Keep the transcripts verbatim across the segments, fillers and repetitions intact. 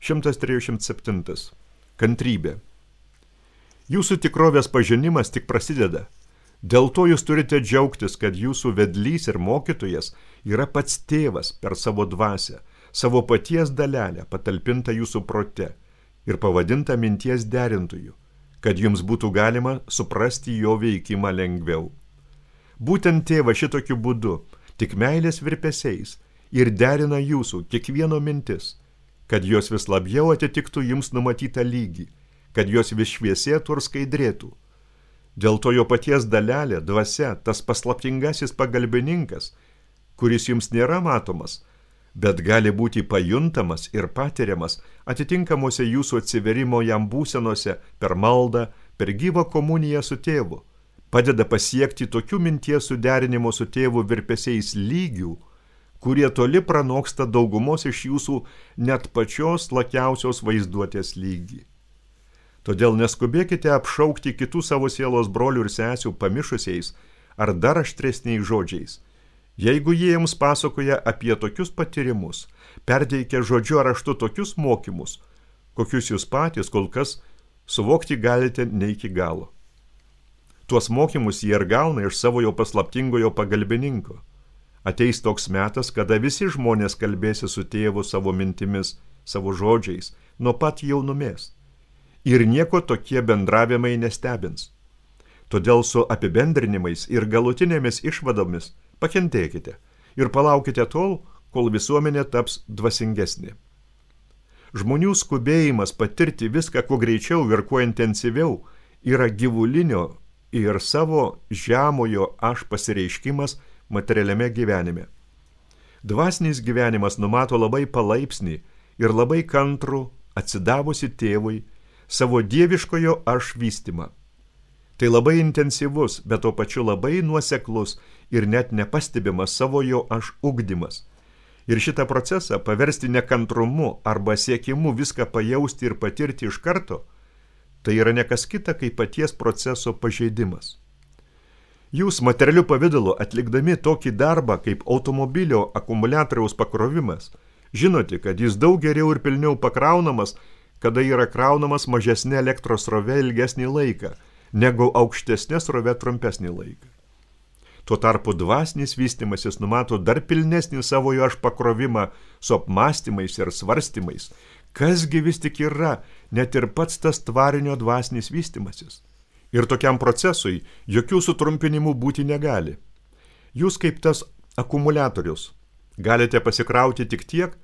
šimtas trisdešimt septyni. Kantrybė. Jūsų tikrovės pažinimas tik prasideda. Dėl to jūs turite džiaugtis, kad jūsų vedlys ir mokytojas yra pats tėvas per savo dvasią, savo paties dalelę patalpintą jūsų prote ir pavadintą minties derintoju, kad jums būtų galima suprasti jo veikimą lengviau. Būtent tėvas šitokiu būdu, tik meilės virpesiais, ir derina jūsų kiekvieno mintis, kad jos vis labiau atitiktų jums numatytą lygį, kad jos vis šviesėtų ir skaidrėtų. Dėl to jo paties dalelė, dvasia, tas paslaptingasis pagalbininkas, kuris jums nėra matomas, bet gali būti pajuntamas ir patiriamas atitinkamuose jūsų atsiverimo jam būsenose per maldą, per gyvą komuniją su tėvu, padeda pasiekti tokių minties suderinimo su tėvu virpesiais lygių, kurie toli pranoksta daugumos iš jūsų net pačios lakiausios vaizduotės lygį. Todėl neskubėkite apšaukti kitų savo sielos brolių ir sesių pamišusiais ar dar aštresniais žodžiais. Jeigu jie jums pasakoja apie tokius patyrimus, perteikia žodžiu ar raštu tokius mokymus, kokius jūs patys kol kas suvokti galite ne iki galo. Tuos mokymus jie ir gauna iš savo jo paslaptingojo pagalbininko. Ateis toks metas, kada visi žmonės kalbėsi su tėvu savo mintimis, savo žodžiais, nuo pat jaunumės. Ir nieko tokie bendravimai nestebins. Todėl su apibendrinimais ir galutinėmis išvadomis pakentėkite ir palaukite tol, kol visuomenė taps dvasingesnė. Žmonių skubėjimas patirti viską kuo greičiau ir kuo intensyviau yra gyvulinio ir savo žemojo aš pasireiškimas materialiame gyvenime. Dvasinis gyvenimas numato labai palaipsnį ir labai kantrų atsidavusi tėvui savo dieviškojo aš vystymą. Tai labai intensyvus, bet to pačiu labai nuoseklus ir net nepastebimas savo jo aš ugdymas. Ir šitą procesą paversti nekantrumu arba siekimu viską pajausti ir patirti iš karto, tai yra nekas kita kaip paties proceso pažeidimas. Jūs materialiu pavidalu atlikdami tokį darbą kaip automobilio akumuliatoriaus pakrovimas, žinote, kad jis daug geriau ir pilniau pakraunamas, kada yra kraunamas mažesnė elektros srove ilgesnį laiką, negu aukštesnė srove trumpesnį laiką. Tuo tarpu dvasinis vystymasis numato dar pilnesnį savojo aš pakrovimą su apmąstymais ir svarstymais, kasgi vis tik yra net ir pats tas tvarinio dvasinis vystymasis. Ir tokiam procesui jokių sutrumpinimų būti negali. Jūs kaip tas akumuliatorius galite pasikrauti tik tiek,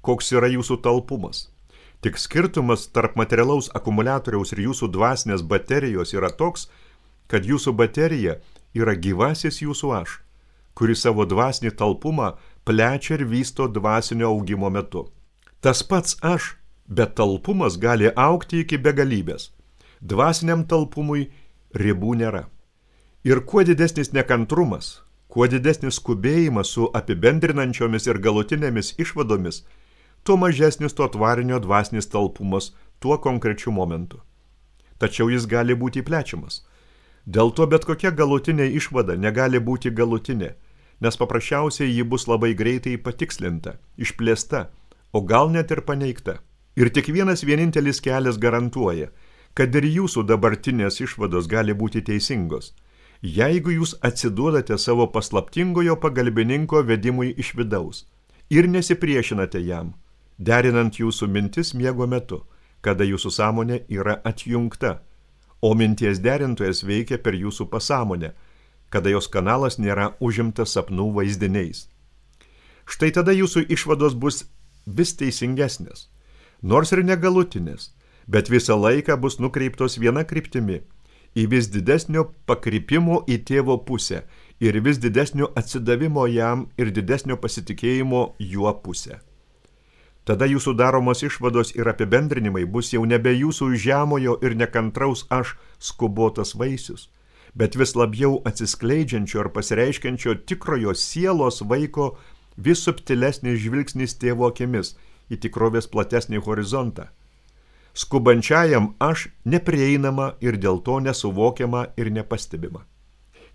koks yra jūsų talpumas. Tik skirtumas tarp materialaus akumuliatoriaus ir jūsų dvasinės baterijos yra toks, kad jūsų baterija yra gyvasis jūsų aš, kuris savo dvasinį talpumą plečia ir vysto dvasinio augimo metu. Tas pats aš, bet talpumas gali augti iki begalybės. Dvasiniam talpumui ribų nėra. Ir kuo didesnis nekantrumas, kuo didesnis skubėjimas su apibendrinančiomis ir galutinėmis išvadomis, tuo mažesnis to tvarinio dvasinis talpumas tuo konkrečiu momentu. Tačiau jis gali būti plečiamas. Dėl to bet kokia galutinė išvada negali būti galutinė, nes paprasčiausiai ji bus labai greitai patikslinta, išplėsta, o gal net ir paneigta. Ir tik vienas vienintelis kelias garantuoja, kad ir jūsų dabartinės išvados gali būti teisingos, jeigu jūs atsiduodate savo paslaptingojo pagalbininko vedimui iš vidaus ir nesipriešinate jam, derinant jūsų mintis miego metu, kada jūsų sąmonė yra atjungta, o minties derintojas veikia per jūsų pasąmonę, kada jos kanalas nėra užimtas sapnų vaizdiniais. Štai tada jūsų išvados bus vis teisingesnės, nors ir negalutinės, bet visą laiką bus nukreiptos viena kryptimi, į vis didesnio pakrypimo į tėvo pusę ir vis didesnio atsidavimo jam ir didesnio pasitikėjimo juo pusę. Tada jūsų daromos išvados ir apibendrinimai bus jau nebe jūsų žemojo ir nekantraus aš skubotas vaisius, bet vis labiau atsiskleidžiančio ir pasireiškiančio tikrojo sielos vaiko vis subtilesnis žvilgsnis tėvo akimis į tikrovės platesnį horizontą. Skubančiajam aš neprieinama ir dėl to nesuvokiama ir nepastebima.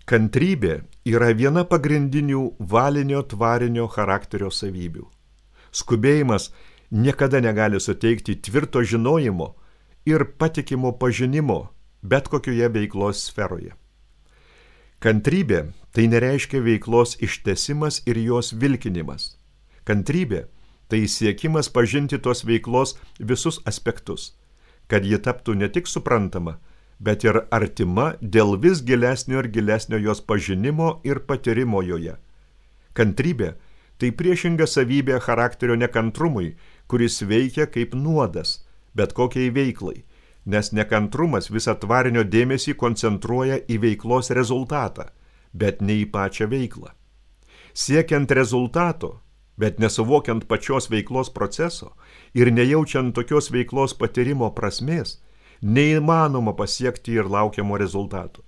Kantrybė yra viena pagrindinių valinio tvarinio charakterio savybių. Skubėjimas niekada negali suteikti tvirto žinojimo ir patikimo pažinimo bet kokioje veiklos sferoje. Kantrybė tai nereiškia veiklos ištesimas ir jos vilkinimas. Kantrybė tai siekimas pažinti tos veiklos visus aspektus, kad ji taptų ne tik suprantama, bet ir artima dėl vis gilesnio ir gilesnio jos pažinimo ir patyrimo joje. Kantrybė tai priešinga savybė charakterio nekantrumui, kuris veikia kaip nuodas, bet kokiai veiklai, nes nekantrumas visą tvarinio dėmesį koncentruoja į veiklos rezultatą, bet ne į pačią veiklą. Siekiant rezultato, bet nesuvokiant pačios veiklos proceso ir nejaučiant tokios veiklos patyrimo prasmės, neįmanoma pasiekti ir laukiamo rezultato.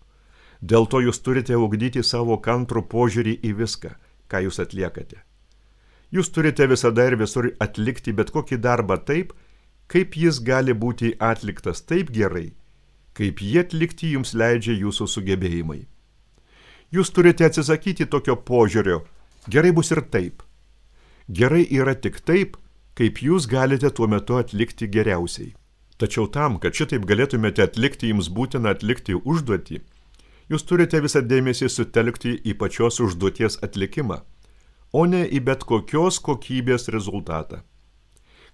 Dėl to jūs turite ugdyti savo kantrų požiūrį į viską, ką jūs atliekate. Jūs turite visada ir visur atlikti bet kokį darbą taip, kaip jis gali būti atliktas taip gerai, kaip jį atlikti jums leidžia jūsų sugebėjimai. Jūs turite atsisakyti tokio požiūrio, gerai bus ir taip. Gerai yra tik taip, kaip jūs galite tuo metu atlikti geriausiai. Tačiau tam, kad šitaip galėtumėte atlikti jums būtiną atlikti užduotį, jūs turite visą dėmesį sutelkti į pačios užduoties atlikimą, o ne į bet kokios kokybės rezultatą.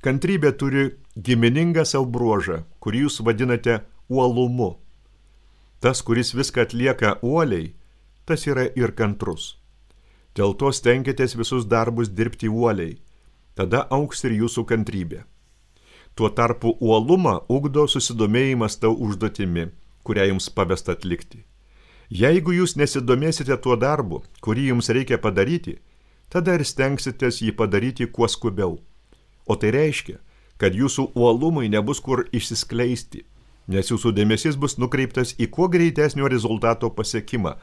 Kantrybė turi giminingą savo bruožą, kurį jūs vadinate uolumu. Tas, kuris viską atlieka uoliai, tas yra ir kantrus. Dėl to stenkitės visus darbus dirbti uoliai, tada augs ir jūsų kantrybė. Tuo tarpu uolumą ugdo susidomėjimas tau užduotimi, kurią jums pavesta atlikti. Jeigu jūs nesidomėsite tuo darbu, kurį jums reikia padaryti, tada ir stengsitės jį padaryti kuo skubiau. O tai reiškia, kad jūsų uolumai nebus kur išsiskleisti, nes jūsų dėmesys bus nukreiptas į kuo greitesnio rezultato pasiekimą,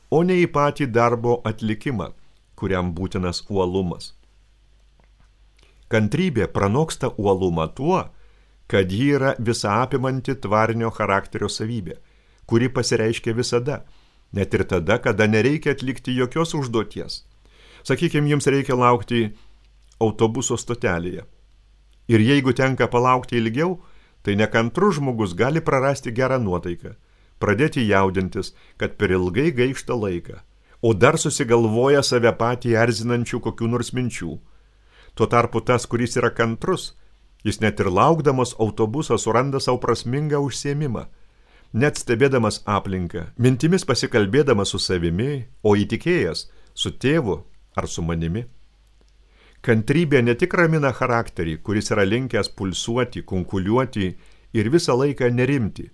o ne į patį darbo atlikimą, kuriam būtinas uolumas. Kantrybė pranoksta uolumą tuo, kad ji yra visaapimanti tvarinio charakterio savybė, kuri pasireiškia visada, net ir tada, kada nereikia atlikti jokios užduoties. Sakykime, jums reikia laukti autobuso stotelėje. Ir jeigu tenka palaukti ilgiau, tai nekantrus žmogus gali prarasti gerą nuotaiką, pradėti jaudintis, kad per ilgai gaišta laiką, o dar susigalvoja save patį erzinančių kokių nors minčių. Tuo tarpu tas, kuris yra kantrus, jis net ir laukdamas autobuso suranda savo prasmingą užsiėmimą, net stebėdamas aplinką, mintimis pasikalbėdamas su savimi, o įtikėjęs su tėvu ar su manimi. Kantrybė ne tik ramina charakterį, kuris yra linkęs pulsuoti, kunkuliuoti ir visą laiką nerimti,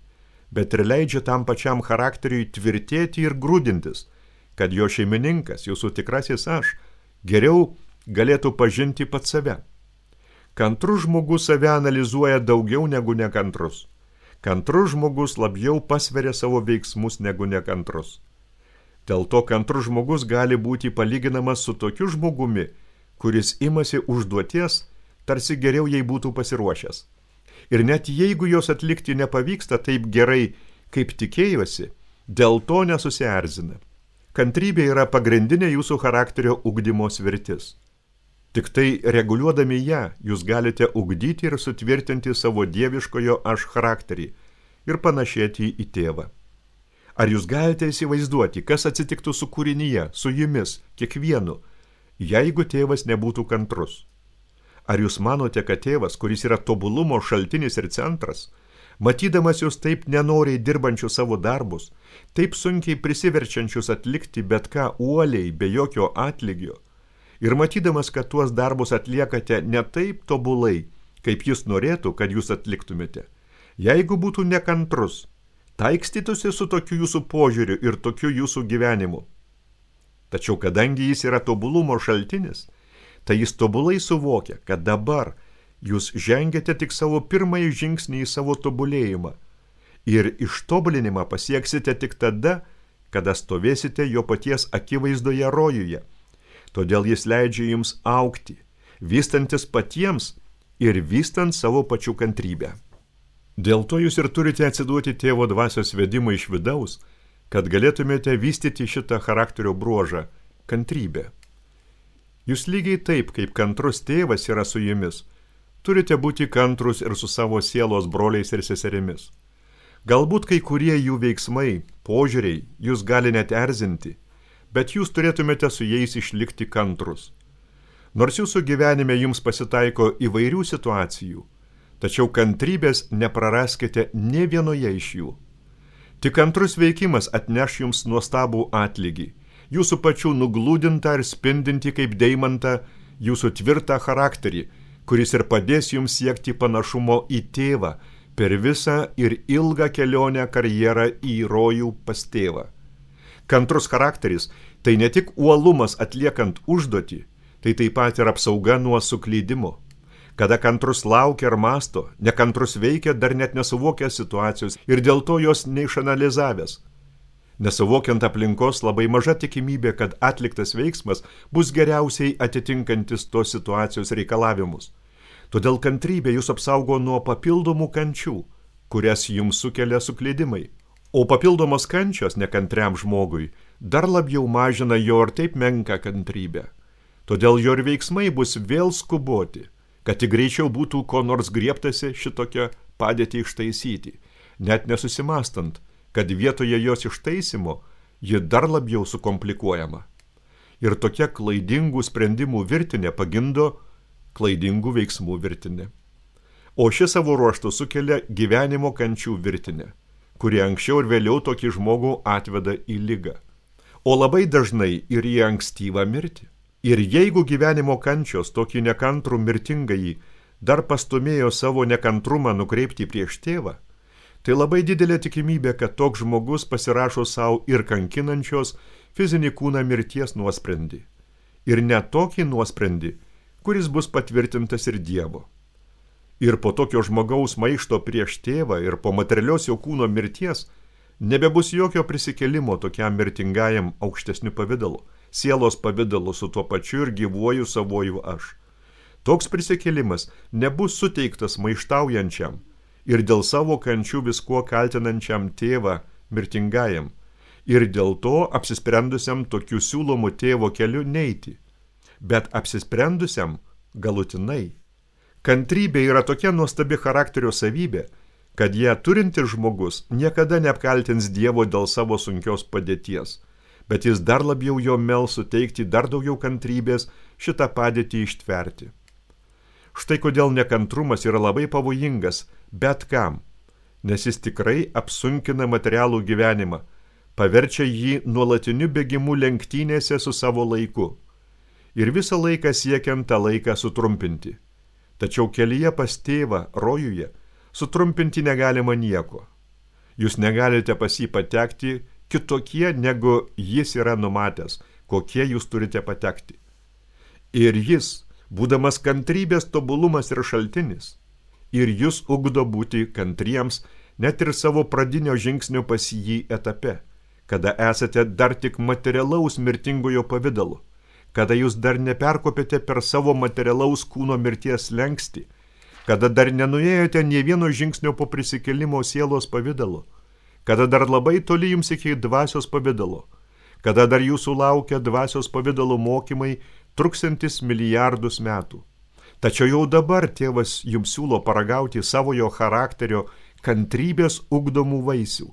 bet ir leidžia tam pačiam charakteriui tvirtėti ir grūdintis, kad jo šeimininkas, jūsų tikrasis aš, geriau galėtų pažinti pat save. Kantrus žmogus save analizuoja daugiau negu nekantrus. Kantrus žmogus labiau pasveria savo veiksmus negu nekantrus. Dėl to kantrus žmogus gali būti palyginamas su tokiu žmogumi, kuris imasi užduoties, tarsi geriau jai būtų pasiruošęs. Ir net jeigu jos atlikti nepavyksta taip gerai, kaip tikėjosi, dėl to nesusierzina. Kantrybė yra pagrindinė jūsų charakterio ugdymo svirtis. Tik tai reguliuodami ją, jūs galite ugdyti ir sutvirtinti savo dieviškojo aš charakterį ir panašėti į tėvą. Ar jūs galite įsivaizduoti, kas atsitiktų su kūrinyje, su jumis, kiekvienu, jeigu tėvas nebūtų kantrus? Ar jūs manote, kad tėvas, kuris yra tobulumo šaltinis ir centras, matydamas jūs taip nenoriai dirbančius savo darbus, taip sunkiai prisiverčiančius atlikti bet ką uoliai, be jokio atlygio, ir matydamas, kad tuos darbus atliekate ne taip tobulai, kaip jis norėtų, kad jūs atliktumėte, jeigu būtų nekantrus, taikstytųsi su tokiu jūsų požiūriu ir tokiu jūsų gyvenimu. Tačiau kadangi jis yra tobulumo šaltinis, tai jis tobulai suvokia, kad dabar jūs žengiate tik savo pirmąjį žingsnį į savo tobulėjimą ir ištobulinimą pasieksite tik tada, kada stovėsite jo paties akivaizdoje rojuje. Todėl jis leidžia jums augti, vystantis patiems ir vystant savo pačių kantrybę. Dėl to jūs ir turite atsiduoti tėvo dvasios vedimą iš vidaus, kad galėtumėte vystyti šitą charakterio bruožą – kantrybę. Jūs lygiai taip, kaip kantrus tėvas yra su jumis, turite būti kantrus ir su savo sielos broliais ir seserimis. Galbūt kai kurie jų veiksmai, požiūriai jūs gali net erzinti, bet jūs turėtumėte su jais išlikti kantrus. Nors jūsų gyvenime jums pasitaiko įvairių situacijų, tačiau kantrybės nepraraskite nė vienoje iš jų. Tik kantrus veikimas atneš jums nuostabų atlygį, jūsų pačių nuglūdintą ir spindinti kaip deimantą jūsų tvirtą charakterį, kuris ir padės jums siekti panašumo į tėvą per visą ir ilgą kelionę karjerą į rojų pas tėvą. Kantrus charakteris tai ne tik uolumas atliekant užduotį, tai taip pat ir apsauga nuo suklydimo. Kada kantrus laukia ar masto, nekantrus veikia dar net nesuvokęs situacijos ir dėl to jos neišanalizavęs. Nesuvokiant aplinkos labai maža tikimybė, kad atliktas veiksmas bus geriausiai atitinkantis tos situacijos reikalavimus. Todėl kantrybė jūs apsaugo nuo papildomų kančių, kurias jums sukelia suklydimai. O papildomos kančios nekantriam žmogui dar labiau mažina jo ir taip menką kantrybę. Todėl jo ir veiksmai bus vėl skuboti, kad tik greičiau būtų ko nors griebtasi šitokią padėtį ištaisyti, net nesusimastant, kad vietoje jos ištaisymo ji dar labiau sukomplikuojama. Ir tokia klaidingų sprendimų virtinė pagimdo klaidingų veiksmų virtinė. O ši savo ruožtu sukelia gyvenimo kančių virtinę, kurie anksčiau ir vėliau tokį žmogų atveda į ligą, o labai dažnai ir į ankstyvą mirtį. Ir jeigu gyvenimo kančios tokį nekantrų mirtingąjį dar pastumėjo savo nekantrumą nukreipti prieš tėvą, tai labai didelė tikimybė, kad toks žmogus pasirašo savo ir kankinančios fizinį kūną mirties nuosprendį. Ir net tokį nuosprendį, kuris bus patvirtintas ir Dievo. Ir po tokio žmogaus maišto prieš tėvą ir po materialios jo kūno mirties nebebus jokio prisikelimo tokiam mirtingajam aukštesniu pavidalu, sielos pavidalu su tuo pačiu ir gyvuoju savoju aš. Toks prisikėlimas nebus suteiktas maištaujančiam ir dėl savo kančių viskuo kaltinančiam tėvą mirtingajam ir dėl to apsisprendusiam tokiu siūlomu tėvo keliu neiti, bet apsisprendusiam galutinai. Kantrybė yra tokia nuostabi charakterio savybė, kad ją turintis žmogus niekada neapkaltins Dievo dėl savo sunkios padėties, bet jis dar labiau jo mels suteikti dar daugiau kantrybės šitą padėtį ištverti. Štai kodėl nekantrumas yra labai pavojingas bet kam, nes jis tikrai apsunkina materialų gyvenimą, paverčia jį nuolatiniu bėgimu lenktynėse su savo laiku ir visą laiką siekiant tą laiką sutrumpinti. Tačiau kelyje pas tėvą rojuje sutrumpinti negalima nieko. Jūs negalite pas jį patekti kitokie, negu jis yra numatęs, kokie jūs turite patekti. Ir jis, būdamas kantrybės tobulumas ir šaltinis, ir jūs ugdo būti kantriems net ir savo pradinio žingsnio pas jį etape, kada esate dar tik materialaus mirtingojo pavidalu, kada jūs dar neperkopėte per savo materialaus kūno mirties slenkstį, kada dar nenuėjote nė vieno žingsnio po prisikėlimo sielos pavidalu, kada dar labai toli jums iki dvasios pavidalo, kada dar jūsų laukia dvasios pavidalo mokymai truksantis milijardus metų. Tačiau jau dabar tėvas jums siūlo paragauti savojo charakterio kantrybės ugdomų vaisių,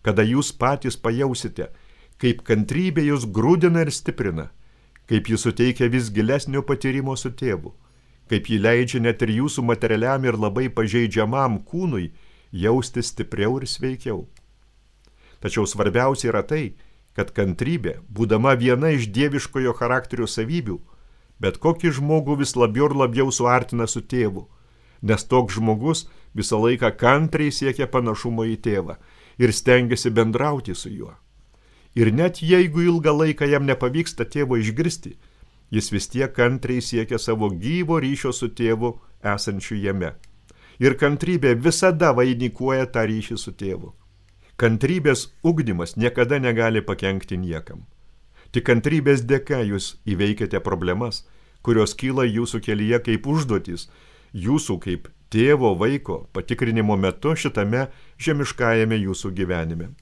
kada jūs patys pajausite, kaip kantrybė jūs grūdina ir stiprina, kaip jis suteikia vis gilesnio patyrimo su tėvu, kaip jį leidžia net ir jūsų materialiam ir labai pažeidžiamam kūnui jausti stipriau ir sveikiau. Tačiau svarbiausia yra tai, kad kantrybė, būdama viena iš dieviškojo charakterio savybių, bet kokį žmogų vis labiau ir labiau suartina su tėvu, nes toks žmogus visą laiką kantriai siekia panašumo į tėvą ir stengiasi bendrauti su juo. Ir net jeigu ilgą laiką jam nepavyksta tėvo išgirsti, jis vis tiek kantriai siekia savo gyvo ryšio su tėvu esančiu jame. Ir kantrybė visada vainikuoja tą ryšį su tėvu. Kantrybės ugdymas niekada negali pakenkti niekam. Tik kantrybės dėka jūs įveikiate problemas, kurios kyla jūsų kelyje kaip užduotys, jūsų kaip tėvo vaiko patikrinimo metu šitame žemiškajame jūsų gyvenime.